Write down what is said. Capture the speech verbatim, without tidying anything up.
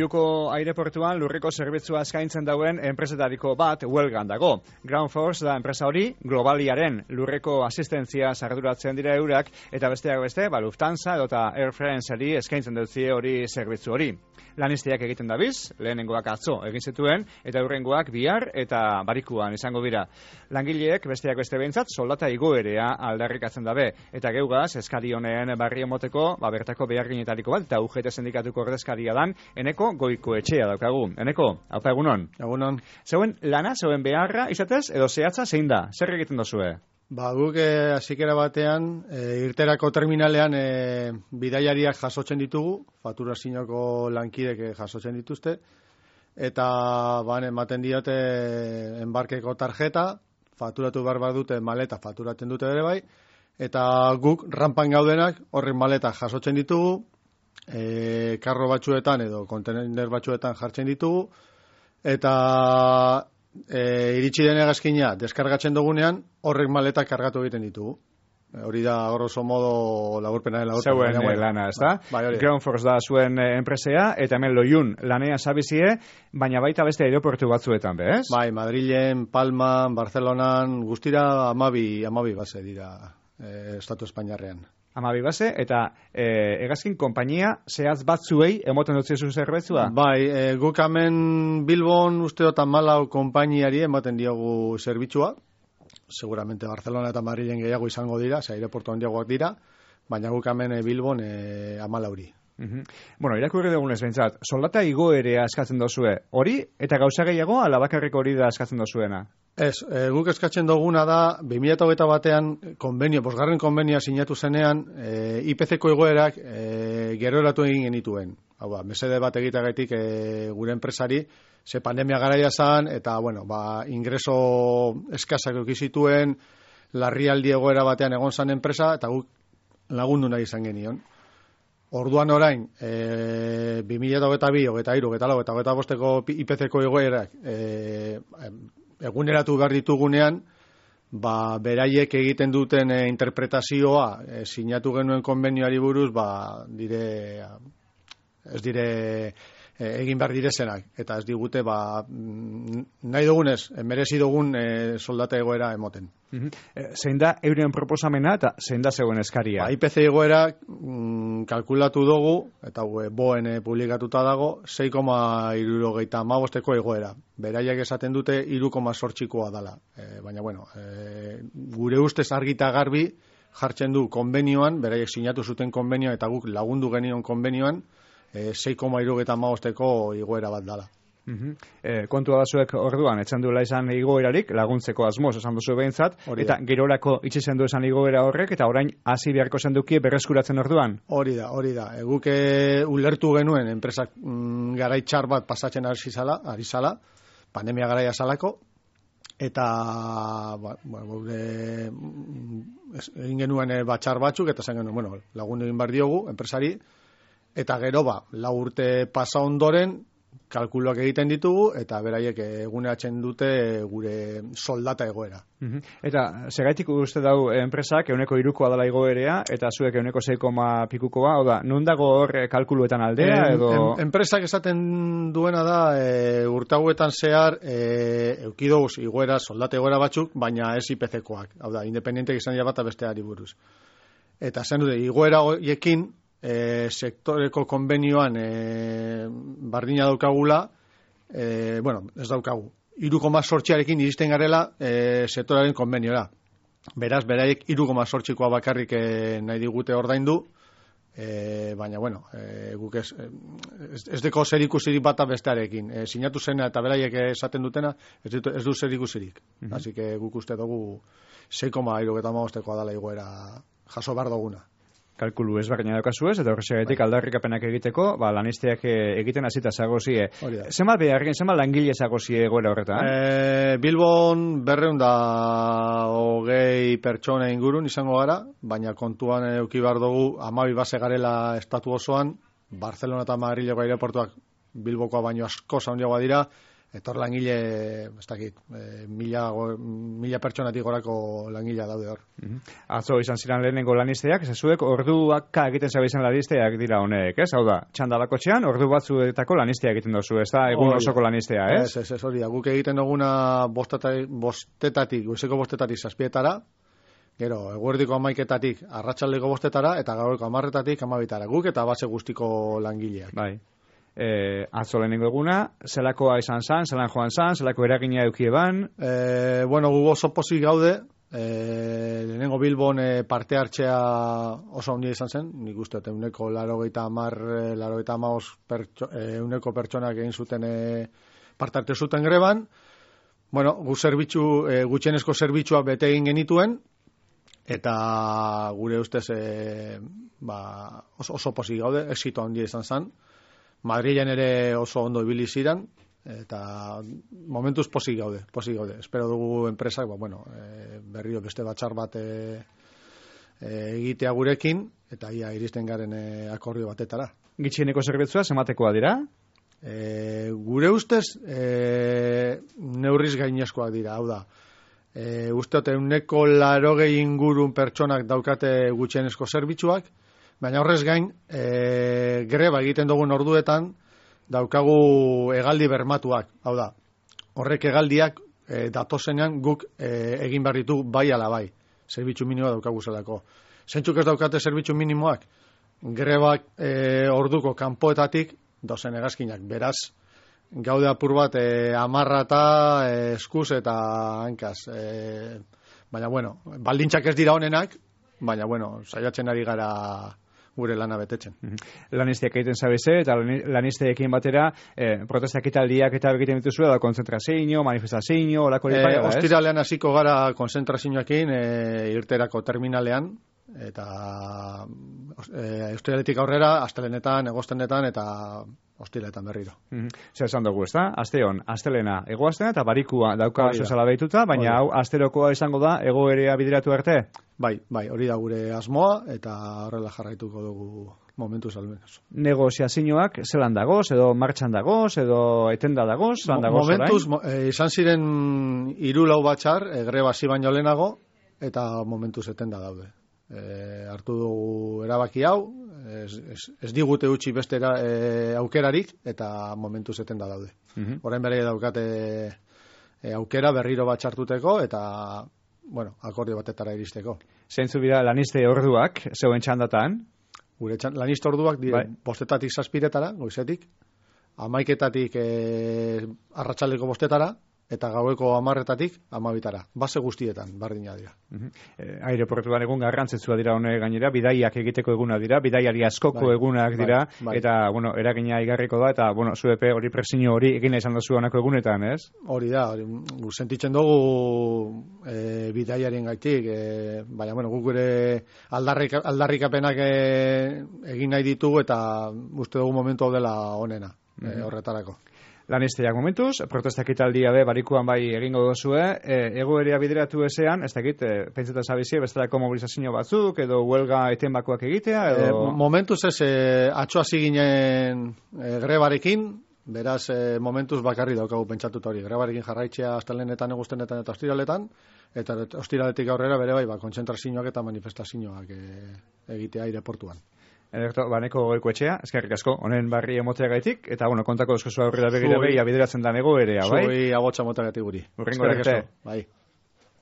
Bilboko aireportuan lurreko zerbitzua eskaintzen dauen enpresetariko bat huelgan dago. Ground Force da enpresa hori, globaliaren lurreko asistentzia arduratzen dira eurak, eta besteak beste, ba, Lufthansa edota Air France-ari eskaintzen dutzie hori zerbitzu hori. Lanisteak egiten dabiz, lehenengoak atzo egin zituen, eta hurrengoak bihar eta barikuan izango dira. Langileek besteak beste behintzat soldata igoerea aldarrikatzen dabe, eta geugaz eskari honen barri emoteko, ba, bertako beharginetariko bat, eta U G T sindikatuko ordezkaria dan, Eneko Goiko etxea daukagu. Eneko, haupa egunon? Egunon. Zeuen lana, zeuen beharra, izatez, edo zehatza zein da? Zer egiten dozue? Ba, guk eh, azikera batean, eh, irterako terminalean eh, bidaiariak jasotzen ditugu, faturazinoko lankidek eh, jasotzen dituzte, eta ban, ematen diote enbarkeko tarjeta, faturatu behar bat dute maleta, faturatzen dute ere bai, eta guk rampan gaudenak horren maleta jasotzen ditugu, eh, karro batzuetan edo kontener batzuetan jartzen ditugu, eta E, iritsi den hegazkina deskargatzen dugunean horrek maletak kargatu egiten ditugu. E, hori da grosso modo laburpenaren laburpen. Zeuen bueno, lana, ez da? Bai, Ground Force da zuen eh, enpresea, eta hemen loiun lanea zabizie, baina baita beste aeroportu batzuetan, be, ez? Bai, Madrilen, Palman, Barcelonan, guztira amabi, amabi base dira e, Estatu Espainiarrean. Amabi base, eta e, hegazkin konpainia zehaz batzuei emoten dutzizu zerbetzua? Bai, e, guk hemen Bilbon uste dut amalau konpainiari ematen diogu zerbitzua. Seguramente Barcelona eta Madrilen gehiago izango dira, ze aireportu handiagoak dira, baina guk hemen e, Bilbon e, amalauri. Uh-huh. Bueno, irakurri dugunez behintzat, soldata igoerea eskatzen dozue, hori eta gauza gehiago ala bakarrik hori da eskatzen dozuena? Ez, e, guk eskatzen duguna da, bi mila hogeita batean konbenio, bosgarren konbenioa sinatu zenean, e, I P C-ko egoerak e, gero eratu egin genituen. Hau ba, mesede bat egitagatik e, gure enpresari, ze pandemia garaia zan, eta, bueno, ba, ingreso eskasak eukizituen, larrialdi egoera batean egon zan enpresa, eta guk lagundu nahi izan genion. Orduan orain, e, bi mila hogeita bi, hogeita hiru, hogeita lau, eta hogeita bosteko I P C-ko egoerak e, eguneratu behar ditugunean, ba, beraiek egiten duten e, interpretazioa e, sinatu genuen konbenioari buruz, ba, dire, ez dire e, egin behar direzenak, eta ez digute ba, nahi dugunez, merezi dugun e, soldata egoera emoten. Uh-huh. E, zein da euren proposamena eta zein da zeuen eskaria? Ba, I P C egoera mm, kalkulatu dugu, eta e, boen e, publikatuta dago, sei koma hirurogeita hamabosteko egoera. Beraiek esaten dute hiru koma zortzikoa dala. E, baina, bueno, e, gure ustez argita garbi jartzen du konbenioan, beraiek sinatu zuten konbenioa eta guk lagundu genion konbenioan, e, sei koma hirurogeita hamabosteko igoera bat dala. Uh-huh. E, kontua da zuek orduan, etxan duela izan igoerarik, laguntzeko asmoz esan duzu behintzat, eta gerorako itxi zendu esan igoera horrek, eta orain hasi beharko zenduki berreskuratzen orduan? Hori da, hori da. E, guk e, ulertu genuen enpresak mm, garaitxar bat pasatzen ari zala, ari zala, pandemia garaia zalako, eta ba, ba, gure egin genuen e, batxar batzuk, eta zen genuen, bueno, lagundu egin behar diogu, enpresari, eta gero ba, lau urte pasa ondoren, kalkuloak egiten ditugu, eta beraiek eguneratzen dute gure soldata egoera. Uh-huh. Eta segaitik uste dau enpresak euneko irukoa dela igoerea, eta zuek euneko sei koma pikukoa, oda, non dago hor kalkuluetan aldea, en, edo... En, enpresak esaten duena da, e, urtauetan zehar, e, eukidoguz igoera, soldata egoera batzuk, baina ez I P C-koak. Hau da, independientek izan dira bat besteari buruz. Eta zen dute, igoera hoiekin, E, sektoreko konbenioan e, bardina daukagula, e, bueno, ez daukagu, hiru koma zortziarekin iristen garela e, sektoraren konbeniora. Beraz, beraiek hiru koma zortzikoa bakarrik e, nahi digute ordaindu, e, baina, bueno, e, guk ez, ez, ez deko zer ikusirik bata bestearekin. E, sinatu zena eta beraiek esaten dutena, ez du, ez du zer ikusirik. Uh-huh. Así que guk uste dugu sei koma hirurogeita hamabostekoa dela igoera jaso behar duguna. Kalkulu ezberdina daukazu ez, eta horregatik aldarrikapenak egiteko, ba, lanisteak egiten hasita zagozie. Zenbat beharren, zenbat langile zagozie egoera horretan? E, Bilbon berreun da hogei pertsona ingurun izango gara, baina kontuan eduki behar dugu hamabi base garela estatu osoan, Barcelona eta Madrileko aireportuak Bilbokoa baino asko handiagoa dira, Etor langile, ez dakit, e, mila, mila pertsonatik gorako langilea daude hor. Mm-hmm. Atzo izan ziren lehenengo lanisteak, zezuek orduak egiten zabezen lanisteak dira honek, ez? Hau da, txandalako txean, ordu batzuetako lanistea egiten dozu, ez da, egun osoko lanistea, ez? Ez, ez, ez, hori, guk egiten duguna bostetatik, bostetatik, goizeko bostetatik zazpietara, gero, eguerdiko amaiketatik arratsaldeko bostetara, eta gaurko amarretatik amabitara, guk eta base guztiko langileak. Bai. E, atzo lehenengo eguna, zelakoa izan zan, zelan joan zan, zelako eragina eukieban? E, bueno, gu oso pozik gaude, e, lehenengo Bilbon e, parte hartzea oso ondia izan zen, nik uste, euneko larogeita amar, larogeita amaos pertso, e, euneko pertsonak egin zuten e, parte hartu zuten greban, bueno, gu zerbitzu, e, gutxienezko zerbitzua bete egin genituen, eta gure ustez e, ba, oso, oso pozik gaude, exito ondia izan zen, Madrilen ere oso ondo ibili ziren, eta momentuz pozik gaude, pozik gaude. Espero dugu enpresak, ba, bueno, e, berriro beste batxar bat e, e, egitea gurekin, eta ia iristen garen e, akordio batetara. Gitxieneko zerbitzua, zematekoa dira? E, gure ustez, e, neurriz gainezkoak dira, hau da. E, usteote, uneko larogei ingurun pertsonak daukate gutxienezko zerbitzuak, baina horrez gain, e, greba egiten dugun orduetan, daukagu hegaldi bermatuak. Hau da, horrek hegaldiak e, datozenean guk e, egin behar ditu bai ala bai. Zerbitzu minimoa daukagu zelako. Zentzuk ez daukate zerbitzu minimoak? Grebak e, orduko kanpoetatik dozen hegazkinak. Beraz, gaude apur bat e, amarrata, e, eskuz eta hankaz. E, baina, bueno, baldintzak ez dira honenak, baina, bueno, saiatzen ari gara gure lana betetzen. Lanisteak egiten zabeze, eta lanisteekin batera, eh, protesta ekitaldiak eta egiten dituzu, da konzentrazio, manifestazio, olako e, lipaia, ez? Ostiralean hasiko gara konzentrazioekin, e, irterako terminalean, eta e, ostiraletik aurrera, astelenetan, egostenetan, eta ostiraletan berriro. Mm-hmm. Zer esan dugu, ez da? Asteon, astelena, egoaztena, eta barikua dauka zuzala behituta, baina hau, asterokoa izango da, egoerea bideratu arte? Bai, bai, hori da gure asmoa, eta horrela jarraituko dugu momentu salmenaz. Negoziazioak zelan dagoz, edo martxan dagoz, edo etenda dagoz, zelan dagoz orain? Momentuz, mo, e, izan ziren hiru lau batxar, e, greba hasi baino lehenago, eta momentuz etenda daude. E, hartu dugu erabaki hau, ez, ez, ez digute utzi beste era, e, aukerarik, eta momentuz etenda daude. Mm-hmm. Orain bere daukate e, aukera berriro batxartuteko, eta bueno, akordio batetara iristeko. Zeintzu bira laniste orduak, zeuen txandatan? Gure txand, laniste orduak dire, bai. Bostetatik zazpiretara, goizetik, amaiketatik e, arratsaldeko bostetara, eta gaueko amarretatik amabitara. Base guztietan, bardina dira. Uh-huh. E, aireportuan egun garrantzetsua dira hone gainera, bidaiak egiteko eguna dira, bidaiari askoko bai, egunak dira, bai, bai. Eta, bueno, eragina igarriko da, eta, bueno, zuepe hori presio hori egina izan dozu honako egunetan, ez? Hori da, hori, sentitzen dugu e, bidaiaren gaitik, e, baina, bueno, guk gure aldarrik, aldarrikapenak e, egin nahi ditugu, eta uste dugu momentu hau dela honena, uh-huh. e, horretarako. Lanisteak momentuz, protestak italdia be, barikuan bai egingo dozue, e, egoerea bideratu ezean, ez dakit, e, pentsetan zabizie, bestelako mobilizazio batzuk, edo huelga etenbakoak egitea, edo... E, momentuz ez, e, atxoa ziginen e, grebarekin, beraz, e, momentuz bakarri daukagu pentsatuta hori, grebarekin jarraitzea astelenetan, egustenetan eta ostiraletan, eta ostiraletik aurrera bere bai, ba, kontzentrazioak eta manifestazioak e, egitea aireportuan. Ederto, baneko goiko etxea, eskerrik asko, honen barri emoteagaitik, eta, bueno, kontako dozko zua aurrera begira behia bideratzen da nego erea, bai? Zui agotxa moteagatik guri. Urrengo arte. Bai.